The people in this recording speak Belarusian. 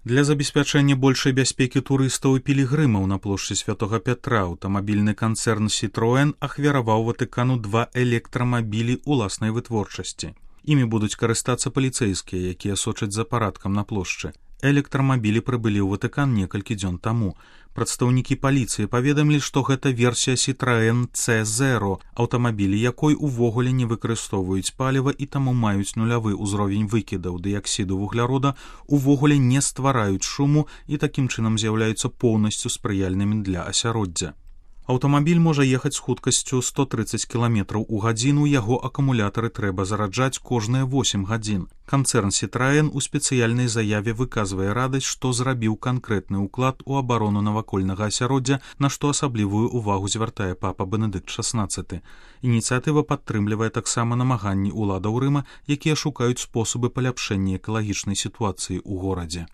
Для забеспячэння большай бяспекі турыстаў і пілігрымаў на плошчы Святога Пятра аўтамабільны канцэрн Citroën ахвяраваў Ватыкану 2 электрамабілі ўласнай вытворчасці. Імі будуць карыстацца паліцэйскія, якія сочаць за парадкам на плошчы. Электрамабілі прыбылі ў Ватыкан некалькі дзён таму. Прадстаўнікі паліцыі паведамілі, што гэта версія Citroën C0, аўтамабілі якой увогуле не выкарыстоўваюць паліва і таму маюць нулявы ўзровень выкідаў дыяксіду вуглярода, увогуле не ствараюць шуму і такім чынам з'яўляюцца поўнасцю спрыяльнымі для асяроддзя. Аўтамабіль можа ехаць з хуткасцю 130 км у гадзіну, яго акумулятары трэба зараджаць кожныя 8 гадзін. Канцэрн Citroën у спецыяльнай заяве выказвае радасць, што зрабіў канкрэтны ўклад у абарону навакольнага асяроддзя, на што асаблівую ўвагу звяртае папа Бенедыкт XVI. Ініцыятыва падтрымлівае таксама намаганні ўладаў Рыма, якія шукаюць спосабы паляпшэння экалагічнай сітуацыі ў горадзе.